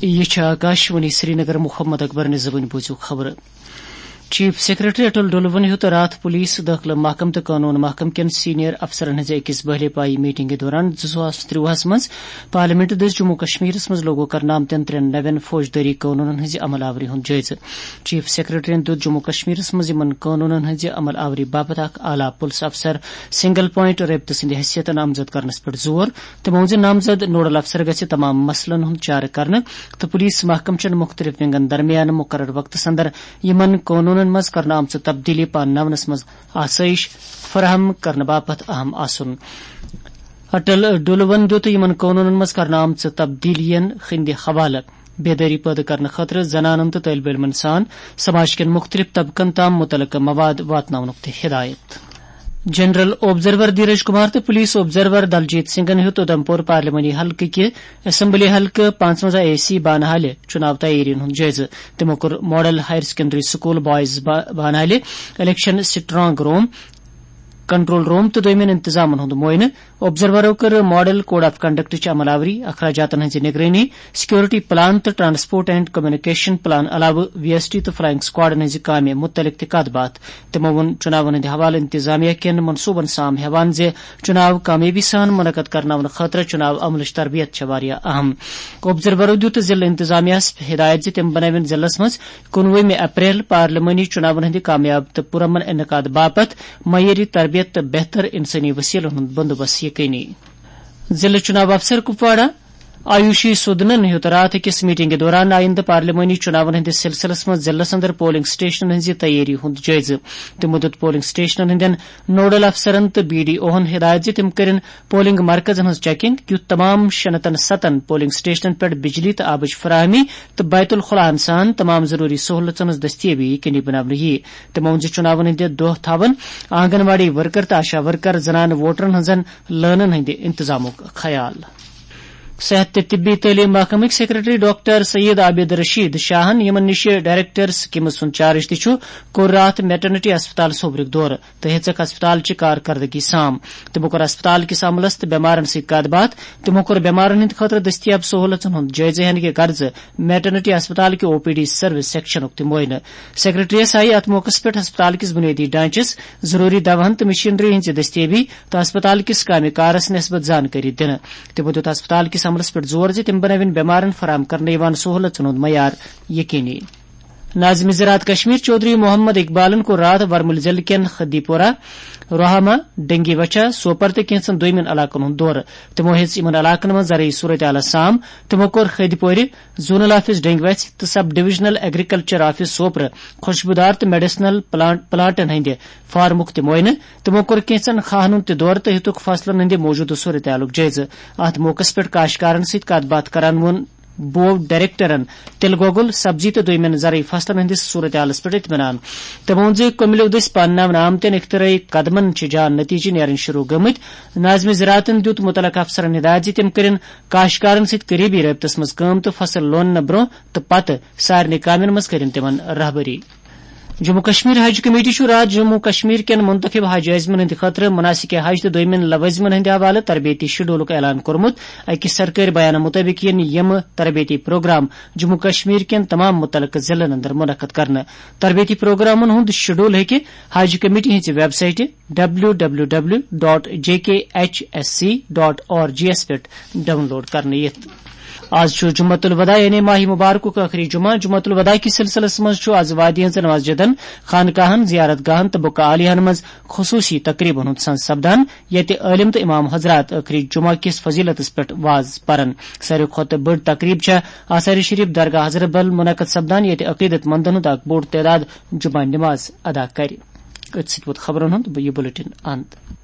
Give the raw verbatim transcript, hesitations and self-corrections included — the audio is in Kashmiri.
یہِ چھِ آکاشوانی سرینگر۔ محمد اکبر نِزوٕنۍ بوٗزِو خبرٕ۔ چیف سیکرٹری اٹل ڈولون ہیوٚت راتھ پولیس، دٲخلہٕ محکمہٕ تہٕ قونوٗن محکمہٕ کٮ۪ن سینئر افسرن ہٕنٛزِ أکِس بہلہِ پایہِ میٹنگہِ دوران زٕ ساس ترٛۆہَس منٛز پارلیمنٹ دٔسۍ جموں کشمیرس منٛز لاگو کرنہٕ آمتٮ۪ن ترٛٮ۪ن نوٮ۪ن فوجدٲری قونوٗنن ہٕنٛزِ عمل آوری ہُنٛد جٲیزٕ۔ چیف سیکرٹریَن دیُت جموں کشمیرس منٛز یِمن قونوٗنن ہٕنٛزِ عمل آوری باپتھ اکھ اعلیٰ پُلس افسر سنگل پوائنٹ رٲبطہٕ سٕنٛدِ حیثیت نامزد کرنس پٮ۪ٹھ زور۔ تِمو ووٚن زِ نامزد نوڈل افسر گژھِ تمام مسلن ہُنٛد چارٕ کرنہٕ تہٕ پولیس محکمہٕ چٮ۪ن مُختٔلِف ونگن درمیان مُقرر وقتس اندر یِمن قونوٗنن منٛز کرنہٕ آمژٕ تبدیلی پانناونس منٛز آسٲیِش فراہم کرنہٕ باپتھ اہم آسُن۔ اٹل ڈولون دیُت یِمن قونوٗنن منٛز کرنہٕ آمژٕ تبدیلیَن ہٕنٛدِ حوالہٕ بیدٲری پٲدٕ کرنہٕ خٲطرٕ زنانن تہٕ طٲلبہِ علمن سان سماج کٮ۪ن مُختٔلِف طبقن تام مُتعلقہٕ مواد واتناونُک تہِ ہدایت۔ جنرل آبزرور دھیرج کمار تہٕ پولیس آبزرور دلجیت سنگھن ہیوٚت اودھمپور پارلیمانی حلقہٕ کہِ اسمبلی حلقہٕ پانٛژوَنٛزاہ اے سی بانہالہِ چُناو تیٲرین ہُنٛد جٲیزٕ۔ تِمو کوٚر model higher secondary school boys با-، بانہالہِ الیکشن سٹرانگ روم، کنٹرول روم تہٕ دوٚیمٮ۪ن انتظامن ہُنٛد معائنہٕ۔ آبزرورو کٔر ماڈل کوڈ آف کنڈکٹٕچ عمل آوری، اخراجاتن ہٕنٛزِ نگرٲنی، سیکورٹی پلان تہٕ ٹرانسپورٹ اینڈ کمیونیکیشن پلان علاوٕ وی ایس ٹی تہٕ فلائنگ اسکواڈن ہٕنٛزِ کامہِ مُتعلق تہِ کتھ باتھ۔ تِمو ووٚن چُناون ہٕنٛدِ حوالہٕ انتظامیہ کٮ۪ن منصوبن سام ہٮ۪وان زِ چُناو کامیٲبی سان منعقد کرناونہٕ خٲطرٕ چُناو عملٕچ تربیت چھےٚ واریاہ اہم۔ آبزرورو دیُت ضلع انتظامیہس ہدایت زِ تِم بنٲوِن ضلعس منٛز کُنوُہمہِ اپریل پارلیمانی چُناون ہٕنٛدِ کامیاب تہٕ پُرامن انعقاد باپتھ معیٲری تربیت تہٕ بہتر انسٲنی وسیلن ہُنٛد بندوبست یقینی۔ ضلع چُناو افسر کپواڑہ آیوشی سودنن ہیوٚت راتھ أکِس میٹنگہِ دوران آئندٕ پارلیمانی چُناون ہٕنٛدِس سلسلس منٛز ضلعس اندر پولنگ سٹیشنن ہٕنٛزِ تیٲری ہُنٛد جٲیزٕ۔ تِمو دیُت پولنگ سٹیشنن ہٕنٛدٮ۪ن نوڈل افسرن تہٕ بی ڈی اوہن ہدایت زِ تِم کٔرِن پولنگ مرکزن ہٕنٛز چیکنگ، کیُتھ تمام شیٚن ہتن ستن پولنگ سٹیشنن پٮ۪ٹھ بجلی تہٕ آبٕچ فراہمی تہٕ بیت الخلاہن سان تمام ضروری سہولژن ہٕنٛز دستیٲبی یقینی بناونہٕ یِیہِ۔ تِمو ووٚن زِ چُناون ہٕنٛدِ دۄہ تھاوَن آنگن واڑی ورکر تہٕ آشا ورکر زنانہٕ ووٹرن ہٕنٛزن لٲنن ہٕنٛدِ انتظامُک خیال۔ صحت تہٕ طبی تعلیٖم محکمٕکۍ سیکرٹری ڈاکٹر سید عابد رشید شاہن، یِمن نِش ڈائریکٹر سکیمز ہُنٛد چارج تہِ چھُ، کوٚر راتھ میٹرنٹی ہسپتال سوبرُک دورٕ تہٕ ہیژکھ ہسپتال چہِ کارکردگی سام۔ تِمو کوٚر ہسپتال کِس عملس تہٕ بٮ۪مارن سۭتۍ کتھ باتھ۔ تِمو کوٚر بٮ۪مارن ہٕنٛدِ خٲطرٕ دٔستیاب سہولژن ہُنٛد جٲیزٕ ہینہٕ کہِ غرضہٕ میٹرنٹی ہسپتال کہِ او پی ڈی سروس سیکشنُک تہِ معائنہٕ۔ سیکرٹریس آیہِ اتھ موقعس پٮ۪ٹھ ہسپتال کِس بنیٲدی ڈھانچس، ضروری دوہن تہٕ مشینری ہٕنٛزِ دٔستیٲبی تہٕ ہسپتال کِس کامہِ کارس نسبت زانکٲری دِنہٕ۔ تِمو دیُت ہسپتال کِس عملس پٮ۪ٹھ زور زِ تِم بنٲوِن بٮ۪مارن فراہم کرنہٕ یِوان سہولژن ہُنٛد معیار یقینی۔ ناظم زراعت کشمیر چودھری محمد اقبالن کوٚر راتھ ورمُل ضلعہٕ کٮ۪ن خدی پورہ، روہامہ، ڈنگی وچھا، سوپر تہٕ کینٛژن دوٚیمٮ۪ن علاقن ہُنٛد دورٕ۔ تِمو ہیٚژ یِمن علاقن منٛز زرعی صورتحال سام۔ تِمو کوٚر خدی پورِ زونل آفس ڈنگی وچھ تہٕ سب ڈویژنل ایگریکلچر آفس سوپرٕ خوشبودار تہٕ میڈیسنل پلانٹ، پلانٹن ہٕنٛدِ فارمُک تہِ معائنہٕ۔ تِمو کوٚر کینٛژن کھاہن ہُنٛد تہِ دورٕ تہٕ ہیٚتُکھ فصلن ہٕنٛدِ موجودٕ صورتحالُک جٲیزٕ۔ اتھ موقعس پٮ۪ٹھ کاشکارن سۭتۍ کتھ باتھ کران ووٚن بو ڈائریکٹرن تِلہٕ گۄگُل، سبزی تہٕ دوٚیمٮ۪ن زرعی فصلن ہٕنٛدِس صورتحالس پٮ۪ٹھ اطمینان۔ تٔمۍ ووٚن زِ کملو دٔسۍ پانناونہٕ آمتٮ۪ن اختراعی قدمن چھِ جان نتیجہٕ نیرٕنۍ شروع گٔمٕتۍ۔ ناظم زراعتن دیُت مُتعلقہٕ افسرن ہدایت زِ تِم کٔرِن کاشکارن سۭتۍ قریبی رٲبطس منٛز کٲم تہٕ فصل لوننہٕ برونٛہہ تہٕ پتہٕ سارنٕے کامٮ۪ن منٛز کٔرِن تِمن رہبری۔ جموں کشمیر حج کمیٹی چھُ راتھ جموں کشمیر کٮ۪ن منتخب حج عازمن ہٕنٛدِ خٲطرٕ مناسک حج تہٕ دوٚیمٮ۪ن لوٲزمن ہٕنٛدِ حوالہٕ تربیتی شیڈولُک اعلان کوٚرمُت۔ أکِس سرکٲرۍ بیانہٕ مُطٲبِق یِن یِم تربیتی پروگرام جموں کشمیر کٮ۪ن تمام مُتعلقہٕ ضلعن اندر منعقد کرنہٕ۔ تربیتی پروگرامن ہُنٛد شیڈول ہیٚکہِ حج کمیٹی ہٕنٛزِ ویب سائٹہِ W W W dot J K H S C dot O R G یَس پٮ۪ٹھ ڈاؤن لوڈ کرنہٕ یِتھ۔ آز چھُ جمعۃ الوداع یعنی ماہ مبارکُک ٲخری جمعہ۔ جمعۃ الوداع کِس سلسلس منٛز چھُ آز وادی ہٕنٛزن مسجدن، خانقاہن، زیارت گاہن تہٕ بقاع عالیہن منٛز خصوصی تقریبن ہُنٛد سنز سپدان، ییٚتہِ عٲلم تہٕ امام حضرات ٲخری جمعہ کِس فضیلتس پٮ۪ٹھ واز پرن۔ ساروی کھۄتہٕ بٔڑ تقریب چھےٚ آثار شریف درگاہ حضرت بل منعقد سپدان، ییٚتہِ عقیدت مندن ہُنٛد اکھ بوٚڑ تعداد جمعہ نماز ادا کرِ۔ أتھۍ سۭتۍ ووت خبرن ہُنٛد یہِ بلیٹن اند۔